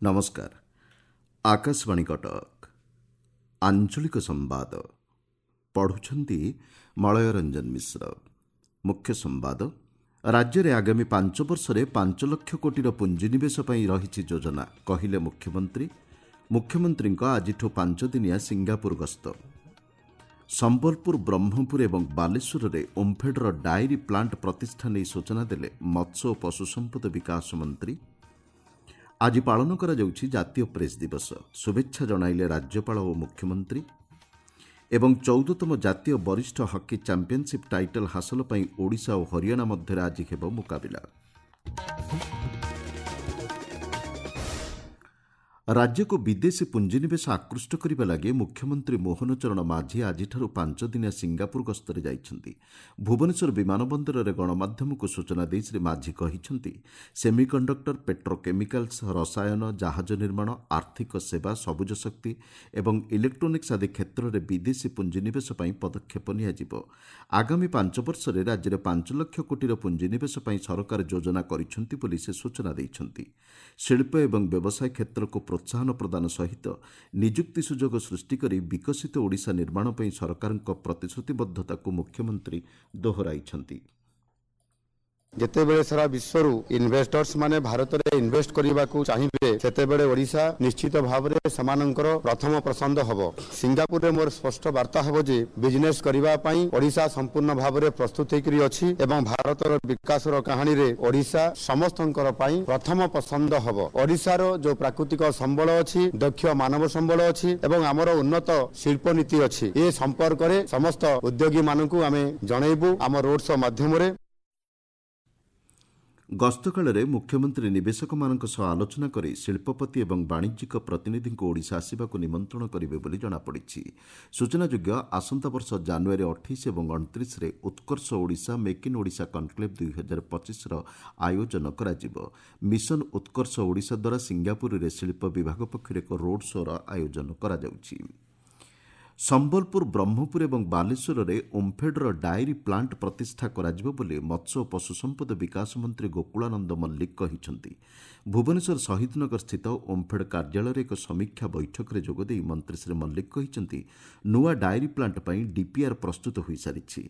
ନମସ୍କାର, ଆକାଶବାଣୀ କଟକ। ଆଞ୍ଚଳିକ ସମ୍ବାଦ ପଢ଼ୁଛନ୍ତି ମଳୟ ରଞ୍ଜନ ମିଶ୍ର। ମୁଖ୍ୟ ସମ୍ବାଦ: ରାଜ୍ୟରେ ଆଗାମୀ 5 ବର୍ଷରେ 5 ଲକ୍ଷ କୋଟିର ପୁଞ୍ଜିନିବେଶ ପାଇଁ ରହିଛି ଯୋଜନା, କହିଲେ ମୁଖ୍ୟମନ୍ତ୍ରୀ। ମୁଖ୍ୟମନ୍ତ୍ରୀଙ୍କ ଆଜିଠୁ 5 ଦିନିଆ ସିଙ୍ଗାପୁର ଗସ୍ତ। ସମ୍ବଲପୁର, ବ୍ରହ୍ମପୁର ଏବଂ ବାଲେଶ୍ୱରରେ ଓମ୍ଫେଡ୍ର ଡାଏରୀ ପ୍ଲାଣ୍ଟ ପ୍ରତିଷ୍ଠା ନେଇ ସୂଚନା ଦେଲେ ମତ୍ସ୍ୟ ଓ ପଶୁସମ୍ପଦ ବିକାଶ ମନ୍ତ୍ରୀ। ଆଜି ପାଳନ କରାଯାଉଛି ଜାତୀୟ ପ୍ରେସ୍ ଦିବସ, ଶୁଭେଚ୍ଛା ଜଣାଇଲେ ରାଜ୍ୟପାଳ ଓ ମୁଖ୍ୟମନ୍ତ୍ରୀ। ଏବଂ 14ତମ ଜାତୀୟ ବରିଷ୍ଠ ହକି ଚାମ୍ପିୟନସିପ୍ ଟାଇଟଲ୍ ହାସଲ ପାଇଁ ଓଡ଼ିଶା ଓ ହରିୟାଣା ମଧ୍ୟରେ ଆଜି ହେବ ମୁକାବିଲା। ରାଜ୍ୟକୁ ବିଦେଶୀ ପୁଞ୍ଜିନିବେଶ ଆକୃଷ୍ଟ କରିବା ଲାଗି ମୁଖ୍ୟମନ୍ତ୍ରୀ ମୋହନ ଚରଣ ମାଝୀ ଆଜିଠାରୁ 5 ଦିନିଆ ସିଙ୍ଗାପୁର ଗସ୍ତରେ ଯାଇଛନ୍ତି। ଭୁବନେଶ୍ୱର ବିମାନ ବନ୍ଦରରେ ଗଣମାଧ୍ୟମକୁ ସୂଚନା ଦେଇ ଶ୍ରୀ ମାଝୀ କହିଛନ୍ତି, ସେମିକଣ୍ଡକ୍ଟର, ପେଟ୍ରୋକେମିକାଲ୍ସ, ରସାୟନ, ଜାହାଜ ନିର୍ମାଣ, ଆର୍ଥିକ ସେବା, ସବୁଜ ଶକ୍ତି ଏବଂ ଇଲେକ୍ଟ୍ରୋନିକ୍ସ ଆଦି କ୍ଷେତ୍ରରେ ବିଦେଶୀ ପୁଞ୍ଜିନିବେଶ ପାଇଁ ପଦକ୍ଷେପ ନିଆଯିବ। ଆଗାମୀ 5 ବର୍ଷରେ ରାଜ୍ୟରେ 5 ଲକ୍ଷ କୋଟିର ପୁଞ୍ଜିନିବେଶ ପାଇଁ ସରକାର ଯୋଜନା କରିଛନ୍ତି ବୋଲି ସେ ସୂଚନା ଦେଇଛନ୍ତି। ଶିଳ୍ପ ଏବଂ ବ୍ୟବସାୟ କ୍ଷେତ୍ରକୁ ପ୍ରୋତ୍ସାହନ ପ୍ରଦାନ ସହିତ ନିଯୁକ୍ତି ସୁଯୋଗ ସୃଷ୍ଟି କରି ବିକଶିତ ଓଡ଼ିଶା ନିର୍ମାଣ ପାଇଁ ସରକାରଙ୍କ ପ୍ରତିଶ୍ରୁତିବଦ୍ଧତାକୁ ମୁଖ୍ୟମନ୍ତ୍ରୀ ଦୋହରାଇଛନ୍ତି। ଯେତେବେଳେ ସାରା ବିଶ୍ୱରୁ ଇନଭେଷ୍ଟର୍ସ ମାନେ ଭାରତରେ ଇନଭେଷ୍ଟ କରିବାକୁ ଚାହିଁବେ, ସେତେବେଳେ ଓଡ଼ିଶା ନିଶ୍ଚିତ ଭାବରେ ସେମାନଙ୍କର ପ୍ରଥମ ପସନ୍ଦ ହେବ। ସିଙ୍ଗାପୁରରେ ମୋର ସ୍ପଷ୍ଟ ବାର୍ତ୍ତା ହେବ ଯେ ବିଜନେସ୍ କରିବା ପାଇଁ ଓଡ଼ିଶା ସମ୍ପୂର୍ଣ୍ଣ ଭାବରେ ପ୍ରସ୍ତୁତ ହେଇକରି ଅଛି ଏବଂ ଭାରତର ବିକାଶର କାହାଣୀରେ ଓଡ଼ିଶା ସମସ୍ତଙ୍କର ପାଇଁ ପ୍ରଥମ ପସନ୍ଦ ହେବ। ଓଡ଼ିଶାର ଯୋଉ ପ୍ରାକୃତିକ ସମ୍ବଳ ଅଛି, ଦକ୍ଷ ମାନବ ସମ୍ବଳ ଅଛି ଏବଂ ଆମର ଉନ୍ନତ ଶିଳ୍ପ ନୀତି ଅଛି, ଏ ସମ୍ପର୍କରେ ସମସ୍ତ ଉଦ୍ୟୋଗୀମାନଙ୍କୁ ଆମେ ଜଣାଇବୁ ଆମ ରୋଡ୍ ଶୋ ମାଧ୍ୟମରେ। ଗସ୍ତକାଳରେ ମୁଖ୍ୟମନ୍ତ୍ରୀ ନିବେଶକମାନଙ୍କ ସହ ଆଲୋଚନା କରି ଶିଳ୍ପପତି ଏବଂ ବାଣିଜ୍ୟିକ ପ୍ରତିନିଧିଙ୍କୁ ଓଡ଼ିଶା ଆସିବାକୁ ନିମନ୍ତ୍ରଣ କରିବେ ବୋଲି ଜଣାପଡ଼ିଛି। ସୂଚନାଯୋଗ୍ୟ, ଆସନ୍ତା ବର୍ଷ ଜାନୁଆରୀ 28 ଏବଂ 29ରେ Utkarsh Odisha make in Odisha conclave 2025ର ଆୟୋଜନ କରାଯିବ। ମିଶନ ଉତ୍କର୍ଷ ଓଡ଼ିଶା ଦ୍ୱାରା ସିଙ୍ଗାପୁରରେ ଶିଳ୍ପ ବିଭାଗ ପକ୍ଷରୁ ଏକ ରୋଡ୍ ଶୋ'ର ଆୟୋଜନ କରାଯାଉଛି। ସମ୍ବଲପୁର, ବ୍ରହ୍ମପୁର ଏବଂ ବାଲେଶ୍ୱରରେ ଓମ୍ଫେଡ୍ର ଡାଏରୀ ପ୍ଲାଣ୍ଟ ପ୍ରତିଷ୍ଠା କରାଯିବ ବୋଲି ମତ୍ସ୍ୟ ଓ ପଶୁସମ୍ପଦ ବିକାଶ ମନ୍ତ୍ରୀ ଗୋକୁଳାନନ୍ଦ ମଲ୍ଲିକ କହିଛନ୍ତି। ଭୁବନେଶ୍ୱର ଶହୀଦନଗର ସ୍ଥିତ ଓମ୍ଫେଡ୍ କାର୍ଯ୍ୟାଳୟରେ ଏକ ସମୀକ୍ଷା ବୈଠକରେ ଯୋଗଦେଇ ମନ୍ତ୍ରୀ ଶ୍ରୀ ମଲ୍ଲିକ କହିଛନ୍ତି, ନୂଆ ଡାଏରୀ ପ୍ଲାଣ୍ଟ ପାଇଁ ଡିପିଆର୍ ପ୍ରସ୍ତୁତ ହୋଇସାରିଛି।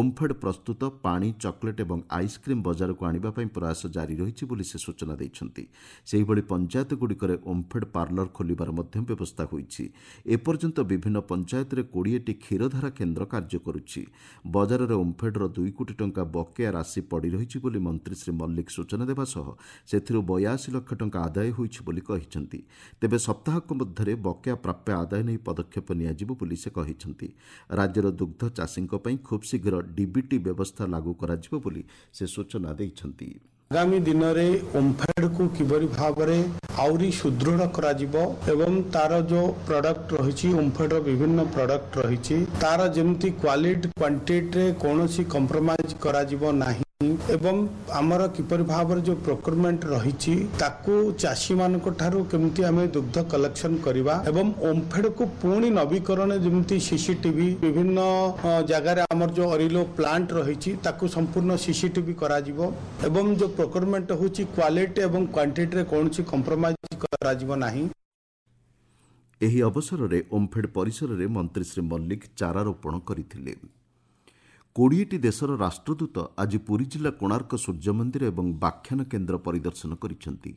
ଓମ୍ଫେଡ୍ ପ୍ରସ୍ତୁତ ପାଣି, ଚକୋଲେଟ୍ ଏବଂ ଆଇସ୍କ୍ରିମ୍ ବଜାରକୁ ଆଣିବା ପାଇଁ ପ୍ରୟାସ ଜାରି ରହିଛି ବୋଲି ସେ ସୂଚନା ଦେଇଛନ୍ତି। ସେହିଭଳି ପଞ୍ଚାୟତଗୁଡ଼ିକରେ ଓମ୍ଫେଡ୍ ପାର୍ଲର ଖୋଲିବାର ମଧ୍ୟ ବ୍ୟବସ୍ଥା ହୋଇଛି। ଏପର୍ଯ୍ୟନ୍ତ ବିଭିନ୍ନ ପଞ୍ଚାୟତରେ 20ଟି କ୍ଷୀରଧାରା କେନ୍ଦ୍ର କାର୍ଯ୍ୟ କରୁଛି। ବଜାରରେ ଓମ୍ଫେଡ୍ର 2 କୋଟି ଟଙ୍କା ବକେୟା ରାଶି ପଡ଼ି ରହିଛି ବୋଲି ମନ୍ତ୍ରୀ ଶ୍ରୀ ମଲ୍ଲିକ ସୂଚନା ଦେବା ସହ ସେଥିରୁ 82 ଲକ୍ଷ ଟଙ୍କା ଆଦାୟ ହୋଇଛି ବୋଲି କହିଛନ୍ତି। ତେବେ ସପ୍ତାହକ ମଧ୍ୟରେ ବକେୟା ପ୍ରାପ୍ୟ ଆଦାୟ ନେଇ ପଦକ୍ଷେପ ନିଆଯିବ ବୋଲି ସେ କହିଛନ୍ତି। ରାଜ୍ୟର ଦୁଗ୍ଧ ଚାଷୀଙ୍କ ପାଇଁ ଖୁବ୍ ଶୀଘ୍ର ଡିବିଟି ବ୍ୟବସ୍ଥା ଲାଗୁ କରାଯିବ ବୋଲି ସେ ସୂଚନା ଦେଇଛନ୍ତି। ଆଗାମୀ ଦିନରେ ଓମ୍ଫେଡ୍କୁ କିଭଳି ଭାବରେ ଆହୁରି ସୁଦୃଢ଼ କରାଯିବ ଏବଂ ତାର ଯେଉଁ ପ୍ରଡକ୍ଟ ରହିଛି, ଓମ୍ଫେଡ୍ର ବିଭିନ୍ନ ପ୍ରଡକ୍ଟ ରହିଛି, ତାର ଯେମିତି କ୍ୱାଲିଟି କ୍ୱାଣ୍ଟିଟିରେ କୌଣସି କମ୍ପ୍ରମାଇଜ କରାଯିବ ନାହିଁ ଏବଂ ଆମର କିପରି ଭାବରେ ଯେଉଁ ପ୍ରୋକ୍ୟୁରମେଣ୍ଟ ରହିଛି ତାକୁ ଚାଷୀମାନଙ୍କ ଠାରୁ କେମିତି ଆମେ ଦୁଗ୍ଧ କଲେକ୍ସନ କରିବା ଏବଂ ଓମ୍ଫେଡ୍କୁ ପୁଣି ନବୀକରଣ, ଯେମିତି ସିସିଟିଭି ବିଭିନ୍ନ ଜାଗାରେ ଆମର ଯେଉଁ ଅରିଲୋ ପ୍ଲାଣ୍ଟ ରହିଛି ତାକୁ ସମ୍ପୂର୍ଣ୍ଣ ସିସିଟିଭି କରାଯିବ ଏବଂ ଯେଉଁ ପ୍ରୋକ୍ୟୁରମେଣ୍ଟ ହେଉଛି କ୍ୱାଲିଟି ଏବଂ କ୍ୱାଣ୍ଟିଟିରେ କୌଣସି କମ୍ପ୍ରମାଇଜ କରାଯିବ ନାହିଁ। ଏହି ଅବସରରେ ଓମ୍ଫେଡ୍ ପରିସରରେ ମନ୍ତ୍ରୀ ଶ୍ରୀ ମଲ୍ଲିକ ଚାରା ରୋପଣ କରିଥିଲେ। 20ଟି ଦେଶର ରାଷ୍ଟ୍ରଦୂତ ଆଜି ପୁରୀ ଜିଲ୍ଲା କୋଣାର୍କ ସୂର୍ଯ୍ୟମନ୍ଦିର ଏବଂ ବ୍ୟାଖ୍ୟାନ କେନ୍ଦ୍ର ପରିଦର୍ଶନ କରିଛନ୍ତି।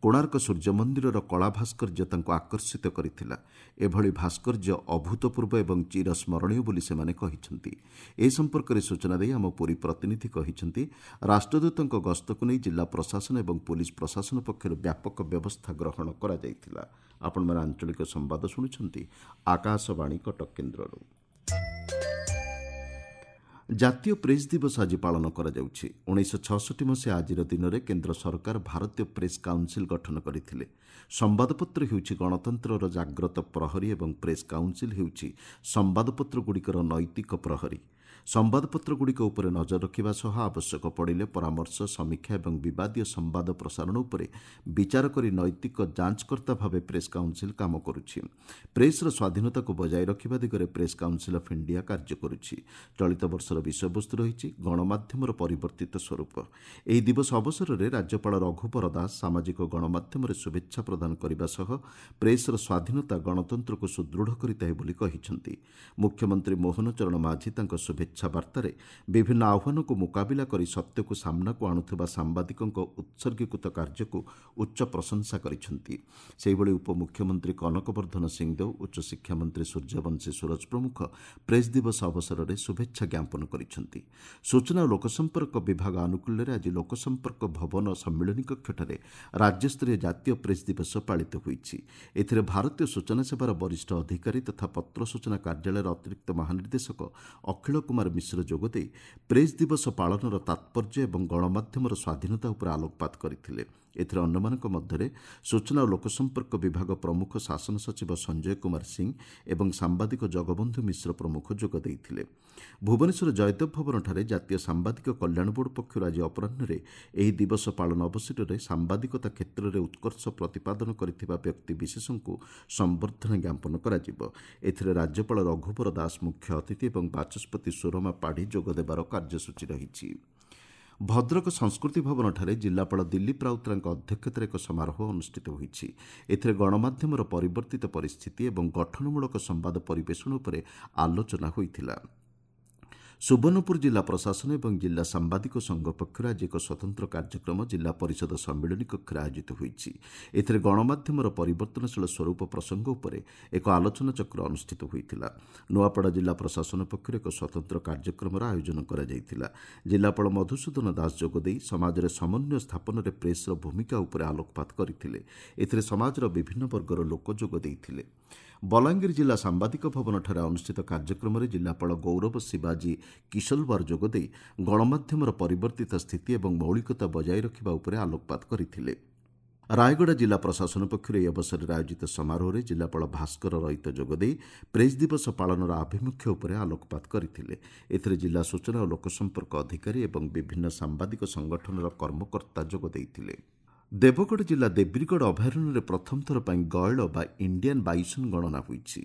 କୋଣାର୍କ ସୂର୍ଯ୍ୟମନ୍ଦିରର କଳା ଭାସ୍କର୍ଯ୍ୟ ତାଙ୍କୁ ଆକର୍ଷିତ କରିଥିଲା। ଏଭଳି ଭାସ୍କର୍ଯ୍ୟ ଅଭୂତପୂର୍ବ ଏବଂ ଚିରସ୍ମରଣୀୟ ବୋଲି ସେମାନେ କହିଛନ୍ତି। ଏ ସମ୍ପର୍କରେ ସୂଚନା ଦେଇ ଆମ ପୁରୀ ପ୍ରତିନିଧି କହିଛନ୍ତି, ରାଷ୍ଟ୍ରଦୂତଙ୍କ ଗସ୍ତକୁ ନେଇ ଜିଲ୍ଲା ପ୍ରଶାସନ ଏବଂ ପୋଲିସ ପ୍ରଶାସନ ପକ୍ଷରୁ ବ୍ୟାପକ ବ୍ୟବସ୍ଥା ଗ୍ରହଣ କରାଯାଇଥିଲା। ଆପଣମାନେ ଆଞ୍ଚଳିକ ସମ୍ବାଦ ଶୁଣୁଛନ୍ତି ଆକାଶବାଣୀ କଟକ କେନ୍ଦ୍ରରୁ। ଜାତୀୟ ପ୍ରେସ୍ ଦିବସ ଆଜି ପାଳନ କରାଯାଉଛି। 1966 ମସିହା ଆଜିର ଦିନରେ କେନ୍ଦ୍ର ସରକାର ଭାରତୀୟ ପ୍ରେସ୍ କାଉନସିଲ୍ ଗଠନ କରିଥିଲେ। ସମ୍ବାଦପତ୍ର ହେଉଛି ଗଣତନ୍ତ୍ରର ଜାଗ୍ରତ ପ୍ରହରୀ ଏବଂ ପ୍ରେସ୍ କାଉନସିଲ୍ ହେଉଛି ସମ୍ବାଦପତ୍ରଗୁଡ଼ିକର ନୈତିକ ପ୍ରହରୀ। ସମ୍ବାଦପତ୍ରଗୁଡ଼ିକ ଉପରେ ନଜର ରଖିବା ସହ ଆବଶ୍ୟକ ପଡ଼ିଲେ ପରାମର୍ଶ, ସମୀକ୍ଷା ଏବଂ ବିବାଦୀୟ ସମ୍ବାଦ ପ୍ରସାରଣ ଉପରେ ବିଚାର କରି ନୈତିକ ଯାଞ୍ଚକର୍ତ୍ତା ଭାବେ ପ୍ରେସ୍ କାଉନ୍ସିଲ୍ କାମ କରୁଛି। ପ୍ରେସ୍ର ସ୍ୱାଧୀନତାକୁ ବଜାୟ ରଖିବା ଦିଗରେ ପ୍ରେସ୍ କାଉନ୍ସିଲ୍ ଅଫ୍ ଇଣ୍ଡିଆ କାର୍ଯ୍ୟ କରୁଛି। ଚଳିତ ବର୍ଷର ବିଷୟବସ୍ତୁ ରହିଛି ଗଣମାଧ୍ୟମର ପରିବର୍ତ୍ତିତ ସ୍ୱରୂପ। ଏହି ଦିବସ ଅବସରରେ ରାଜ୍ୟପାଳ ରଘୁବର ଦାସ ସାମାଜିକ ଗଣମାଧ୍ୟମରେ ଶୁଭେଚ୍ଛା ପ୍ରଦାନ କରିବା ସହ ପ୍ରେସ୍ର ସ୍ୱାଧୀନତା ଗଣତନ୍ତ୍ରକୁ ସୁଦୃଢ଼ କରିଥାଏ ବୋଲି କହିଛନ୍ତି। ମୁଖ୍ୟମନ୍ତ୍ରୀ ମୋହନ ଚରଣ ମାଝୀ ତାଙ୍କ ଶୁଭେଚ୍ଛା ବାର୍ତ୍ତାରେ ବିଭିନ୍ନ ଆହ୍ୱାନକୁ ମୁକାବିଲା କରି ସତ୍ୟକୁ ସାମ୍ନାକୁ ଆଣୁଥିବା ସାମ୍ବାଦିକଙ୍କ ଉତ୍ସର୍ଗୀକୃତ କାର୍ଯ୍ୟକୁ ଉଚ୍ଚ ପ୍ରଶଂସା କରିଛନ୍ତି। ସେହିଭଳି ଉପମୁଖ୍ୟମନ୍ତ୍ରୀ କନକ ବର୍ଦ୍ଧନ ସିଂଦେଓ, ଉଚ୍ଚଶିକ୍ଷା ମନ୍ତ୍ରୀ ସୂର୍ଯ୍ୟବଂଶୀ ସୂରଜ ପ୍ରମୁଖ ପ୍ରେସ୍ ଦିବସ ଅବସରରେ ଶୁଭେଚ୍ଛା ଜ୍ଞାପନ କରିଛନ୍ତି। ସୂଚନା ଓ ଲୋକସମ୍ପର୍କ ବିଭାଗ ଆନୁକୂଲ୍ୟରେ ଆଜି ଲୋକସମ୍ପର୍କ ଭବନ ସମ୍ମିଳନୀ କକ୍ଷଠାରେ ରାଜ୍ୟସ୍ତରୀୟ ଜାତୀୟ ପ୍ରେସ୍ ଦିବସ ପାଳିତ ହୋଇଛି। ଏଥିରେ ଭାରତୀୟ ସୂଚନା ସେବାର ବରିଷ୍ଠ ଅଧିକାରୀ ତଥା ପତ୍ର ସୂଚନା କାର୍ଯ୍ୟାଳୟର ଅତିରିକ୍ତ ମହାନିର୍ଦ୍ଦେଶକ ଅଖିଳ କୁମାର ମିଶ୍ର ଯୋଗଦେଇ ପ୍ରେସ୍ ଦିବସ ପାଳନର ତାତ୍ପର୍ଯ୍ୟ ଏବଂ ଗଣମାଧ୍ୟମର ସ୍ୱାଧୀନତା ଉପରେ ଆଲୋକପାତ କରିଥିଲେ। ଏଥିରେ ଅନ୍ୟମାନଙ୍କ ମଧ୍ୟରେ ସୂଚନା ଓ ଲୋକସମ୍ପର୍କ ବିଭାଗ ପ୍ରମୁଖ ଶାସନ ସଚିବ ସଞ୍ଜୟ କୁମାର ସିଂ ଏବଂ ସାମ୍ବାଦିକ ଜଗବନ୍ଧୁ ମିଶ୍ର ପ୍ରମୁଖ ଯୋଗ ଦେଇଥିଲେ। ଭୁବନେଶ୍ୱର ଜୟଦେବ ଭବନଠାରେ ଜାତୀୟ ସାମ୍ବାଦିକ କଲ୍ୟାଣ ବୋର୍ଡ ପକ୍ଷରୁ ଆଜି ଅପରାହ୍ନରେ ଏହି ଦିବସ ପାଳନ ଅବସରରେ ସାମ୍ବାଦିକତା କ୍ଷେତ୍ରରେ ଉତ୍କର୍ଷ ପ୍ରତିପାଦନ କରିଥିବା ବ୍ୟକ୍ତିବିଶେଷଙ୍କୁ ସମ୍ବର୍ଦ୍ଧନା ଜ୍ଞାପନ କରାଯିବ। ଏଥିରେ ରାଜ୍ୟପାଳ ରଘୁବର ଦାସ ମୁଖ୍ୟ ଅତିଥି ଏବଂ ବାଚସ୍ପତି ସୁରମା ପାଢ଼ୀ ଯୋଗଦେବାର କାର୍ଯ୍ୟସୂଚୀ ରହିଛି। ଭଦ୍ରକ ସଂସ୍କୃତି ଭବନଠାରେ ଜିଲ୍ଲାପାଳ ଦିଲ୍ଲୀପ ରାଉତରାୟଙ୍କ ଅଧ୍ୟକ୍ଷତାରେ ଏକ ସମାରୋହ ଅନୁଷ୍ଠିତ ହୋଇଛି। ଏଥିରେ ଗଣମାଧ୍ୟମର ପରିବର୍ତ୍ତିତ ପରିସ୍ଥିତି ଏବଂ ଗଠନମୂଳକ ସମ୍ବାଦ ପରିବେଷଣ ଉପରେ ଆଲୋଚନା ହୋଇଥିଲା। ସୁବର୍ଣ୍ଣପୁର ଜିଲ୍ଲା ପ୍ରଶାସନ ଏବଂ ଜିଲ୍ଲା ସାମ୍ବାଦିକ ସଂଘ ପକ୍ଷରୁ ଆଜି ଏକ ସ୍ୱତନ୍ତ୍ର କାର୍ଯ୍ୟକ୍ରମ ଜିଲ୍ଲା ପରିଷଦ ସମ୍ମିଳନୀ କକ୍ଷରେ ଆୟୋଜିତ ହୋଇଛି। ଏଥିରେ ଗଣମାଧ୍ୟମର ପରିବର୍ତ୍ତନଶୀଳ ସ୍ୱରୂପ ପ୍ରସଙ୍ଗ ଉପରେ ଏକ ଆଲୋଚନାଚକ୍ର ଅନୁଷ୍ଠିତ ହୋଇଥିଲା। ନୂଆପଡ଼ା ଜିଲ୍ଲା ପ୍ରଶାସନ ପକ୍ଷରୁ ଏକ ସ୍ୱତନ୍ତ୍ର କାର୍ଯ୍ୟକ୍ରମର ଆୟୋଜନ କରାଯାଇଥିଲା। ଜିଲ୍ଲାପାଳ ମଧୁସୂଦନ ଦାସ ଯୋଗଦେଇ ସମାଜରେ ସମନ୍ୱୟ ସ୍ଥାପନରେ ପ୍ରେସ୍ର ଭୂମିକା ଉପରେ ଆଲୋକପାତ କରିଥିଲେ। ଏଥିରେ ସମାଜର ବିଭିନ୍ନ ବର୍ଗର ଲୋକ ଯୋଗ ଦେଇଥିଲେ। ବଲାଙ୍ଗୀର ଜିଲ୍ଲା ସାମ୍ବାଦିକ ଭବନଠାରେ ଅନୁଷ୍ଠିତ କାର୍ଯ୍ୟକ୍ରମରେ ଜିଲ୍ଲାପାଳ ଗୌରବ ଶିବାଜୀ କିଶଲୱାର ଯୋଗଦେଇ ଗଣମାଧ୍ୟମର ପରିବର୍ତ୍ତିତ ସ୍ଥିତି ଏବଂ ମୌଳିକତା ବଜାୟ ରଖିବା ଉପରେ ଆଲୋକପାତ କରିଥିଲେ। ରାୟଗଡ଼ା ଜିଲ୍ଲା ପ୍ରଶାସନ ପକ୍ଷରୁ ଏହି ଅବସରରେ ଆୟୋଜିତ ସମାରୋହରେ ଜିଲ୍ଲାପାଳ ଭାସ୍କର ରଇତ ଯୋଗଦେଇ ପ୍ରେସ୍ ଦିବସ ପାଳନର ଆଭିମୁଖ୍ୟ ଉପରେ ଆଲୋକପାତ କରିଥିଲେ। ଏଥିରେ ଜିଲ୍ଲା ସୂଚନା ଓ ଲୋକସମ୍ପର୍କ ଅଧିକାରୀ ଏବଂ ବିଭିନ୍ନ ସାମ୍ବାଦିକ ସଂଗଠନର କର୍ମକର୍ତ୍ତା ଯୋଗ ଦେଇଥିଲେ। ଦେବଗଡ଼ ଜିଲ୍ଲା ଦେବ୍ରିଗଡ଼ ଅଭୟାରଣ୍ୟରେ ପ୍ରଥମ ଥର ପାଇଁ ଗୟଳ ବା ଇଣ୍ଡିଆନ୍ ବାଇସନ୍ ଗଣନା ହୋଇଛି।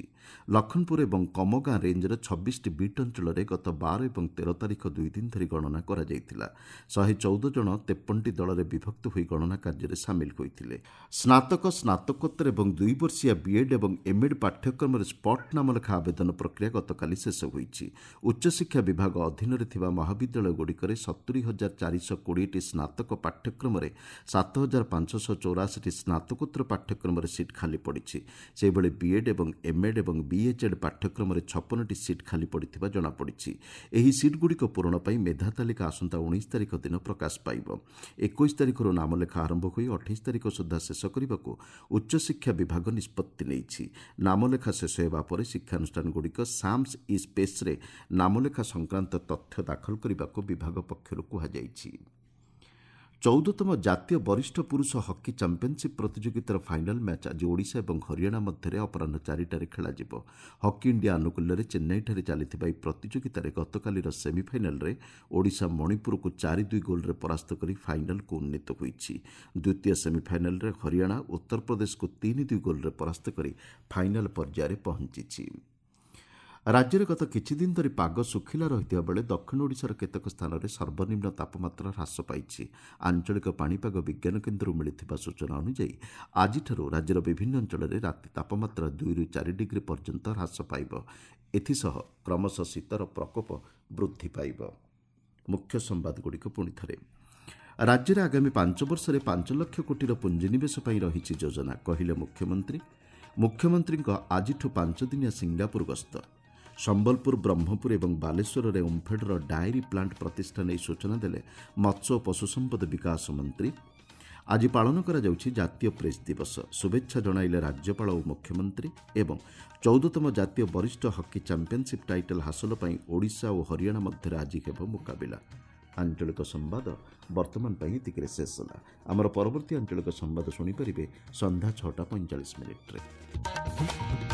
ଲଖନପୁର ଏବଂ କମଗାଁ ରେଞ୍ଜର 26ଟି ବିଟ୍ ଅଞ୍ଚଳରେ ଗତ 12 ଏବଂ 13 ତାରିଖ 2 ଦିନ ଧରି ଗଣନା କରାଯାଇଥିଲା। 114 ଜଣ 53ଟି ଦଳରେ ବିଭକ୍ତ ହୋଇ ଗଣନା କାର୍ଯ୍ୟରେ ସାମିଲ ହୋଇଥିଲେ। ସ୍ନାତକ, ସ୍ନାତକୋତ୍ତର ଏବଂ 2 ବର୍ଷିଆ ବିଏଡ୍ ଏବଂ ଏମ୍ଏଡ୍ ପାଠ୍ୟକ୍ରମରେ ସ୍ପଟ୍ ନାମଲେଖା ଆବେଦନ ପ୍ରକ୍ରିୟା ଗତକାଲି ଶେଷ ହୋଇଛି। ଉଚ୍ଚଶିକ୍ଷା ବିଭାଗ ଅଧୀନରେ ଥିବା ମହାବିଦ୍ୟାଳୟଗୁଡ଼ିକରେ 70,420ଟି ସ୍ନାତକ ପାଠ୍ୟକ୍ରମରେ 7,584ଟି ସ୍ନାତକୋତ୍ତର ପାଠ୍ୟକ୍ରମରେ ସିଟ୍ ଖାଲି ପଡ଼ିଛି। ସେହିଭଳି ବିଏଡ୍ ଏବଂ ଏମ୍ଏଡ୍ ଏବଂ ବିଏଚ୍ଏଡ୍ ପାଠ୍ୟକ୍ରମରେ 56ଟି ସିଟ୍ ଖାଲି ପଡ଼ିଥିବା ଜଣାପଡ଼ିଛି। ଏହି ସିଟ୍ଗୁଡ଼ିକ ପୂରଣ ପାଇଁ ମେଧା ତାଲିକା ଆସନ୍ତା 19 ତାରିଖ ଦିନ ପ୍ରକାଶ ପାଇବ। 21 ତାରିଖରୁ ନାମଲେଖା ଆରମ୍ଭ ହୋଇ 28 ତାରିଖ ସୁଦ୍ଧା ଶେଷ କରିବାକୁ ଉଚ୍ଚଶିକ୍ଷା ବିଭାଗ ନିଷ୍ପତ୍ତି ନେଇଛି। ନାମଲେଖା ଶେଷ ହେବା ପରେ ଶିକ୍ଷାନୁଷ୍ଠାନଗୁଡ଼ିକ ସାମ୍ସ ଇ ସ୍ପେସ୍ରେ ନାମଲେଖା ସଂକ୍ରାନ୍ତ ତଥ୍ୟ ଦାଖଲ କରିବାକୁ ବିଭାଗ ପକ୍ଷରୁ କୁହାଯାଇଛି। 14ତମ ଜାତୀୟ ବରିଷ୍ଠ ପୁରୁଷ ହକି ଚାମ୍ପିୟନସିପ୍ ପ୍ରତିଯୋଗିତାର ଫାଇନାଲ୍ ମ୍ୟାଚ୍ ଆଜି ଓଡ଼ିଶା ଏବଂ ହରିୟାଣା ମଧ୍ୟରେ ଅପରାହ୍ନ 4ଟାରେ ଖେଳାଯିବ। ହକି ଇଣ୍ଡିଆ ଆନୁକୂଲ୍ୟରେ ଚେନ୍ନାଇଠାରେ ଚାଲିଥିବା ଏହି ପ୍ରତିଯୋଗିତାରେ ଗତକାଲିର ସେମିଫାଇନାଲ୍ରେ ଓଡ଼ିଶା ମଣିପୁରକୁ 4-2 ଗୋଲ୍ରେ ପରାସ୍ତ କରି ଫାଇନାଲ୍କୁ ଉନ୍ନୀତ ହୋଇଛି। ଦ୍ୱିତୀୟ ସେମିଫାଇନାଲ୍ରେ ହରିୟାଣା ଉତ୍ତରପ୍ରଦେଶକୁ 3-2 ଗୋଲ୍ରେ ପରାସ୍ତ କରି ଫାଇନାଲ୍ ପର୍ଯ୍ୟାୟରେ ପହଞ୍ଚିଛି। ରାଜ୍ୟରେ ଗତ କିଛିଦିନ ଧରି ପାଗ ଶୁଖିଲା ରହିଥିବା ବେଳେ ଦକ୍ଷିଣ ଓଡ଼ିଶାର କେତେକ ସ୍ଥାନରେ ସର୍ବନିମ୍ନ ତାପମାତ୍ରା ହ୍ରାସ ପାଇଛି। ଆଞ୍ଚଳିକ ପାଣିପାଗ ବିଜ୍ଞାନ କେନ୍ଦ୍ରରୁ ମିଳିଥିବା ସୂଚନା ଅନୁଯାୟୀ ଆଜିଠାରୁ ରାଜ୍ୟର ବିଭିନ୍ନ ଅଞ୍ଚଳରେ ରାତି ତାପମାତ୍ରା 2ରୁ 4 ଡିଗ୍ରୀ ପର୍ଯ୍ୟନ୍ତ ହ୍ରାସ ପାଇବ। ଏଥିସହ କ୍ରମଶଃ ଶୀତର ପ୍ରକୋପ ବୃଦ୍ଧି ପାଇବ। ମୁଖ୍ୟ ସମ୍ବାଦଗୁଡ଼ିକ ପୁଣି ଥରେ। ରାଜ୍ୟରେ ଆଗାମୀ 5 ବର୍ଷରେ 5 ଲକ୍ଷ କୋଟିର ପୁଞ୍ଜିନିବେଶ ପାଇଁ ରହିଛି ଯୋଜନା, କହିଲେ ମୁଖ୍ୟମନ୍ତ୍ରୀ। ମୁଖ୍ୟମନ୍ତ୍ରୀଙ୍କ ଆଜିଠୁ 5 ଦିନିଆ ସିଙ୍ଗାପୁର ଗସ୍ତ। ସମ୍ବଲପୁର, ବ୍ରହ୍ମପୁର ଏବଂ ବାଲେଶ୍ୱରରେ ଓମ୍ଫେଡ୍ର ଡାଏରୀ ପ୍ଲାଣ୍ଟ ପ୍ରତିଷ୍ଠା ନେଇ ସୂଚନା ଦେଲେ ମତ୍ସ୍ୟ ଓ ପଶୁସମ୍ପଦ ବିକାଶ ମନ୍ତ୍ରୀ। ଆଜି ପାଳନ କରାଯାଉଛି ଜାତୀୟ ପ୍ରେସ୍ ଦିବସ। ଶୁଭେଚ୍ଛା ଜଣାଇଲେ ରାଜ୍ୟପାଳ ଓ ମୁଖ୍ୟମନ୍ତ୍ରୀ। ଏବଂ 14ତମ ଜାତୀୟ ବରିଷ୍ଠ ହକି ଚାମ୍ପିୟନସିପ୍ ଟାଇଟଲ୍ ହାସଲ ପାଇଁ ଓଡ଼ିଶା ଓ ହରିୟାଣା ମଧ୍ୟରେ ଆଜି ହେବ ମୁକାବିଲା। ଆଞ୍ଚଳିକ ସମ୍ବାଦ ବର୍ତ୍ତମାନ ପାଇଁ ଏତିକିରେ ଶେଷ ହେଲା। ଆମର ପରବର୍ତ୍ତୀ ଆଞ୍ଚଳିକ ସମ୍ବାଦ ଶୁଣିପାରିବେ ସନ୍ଧ୍ୟା 6:45।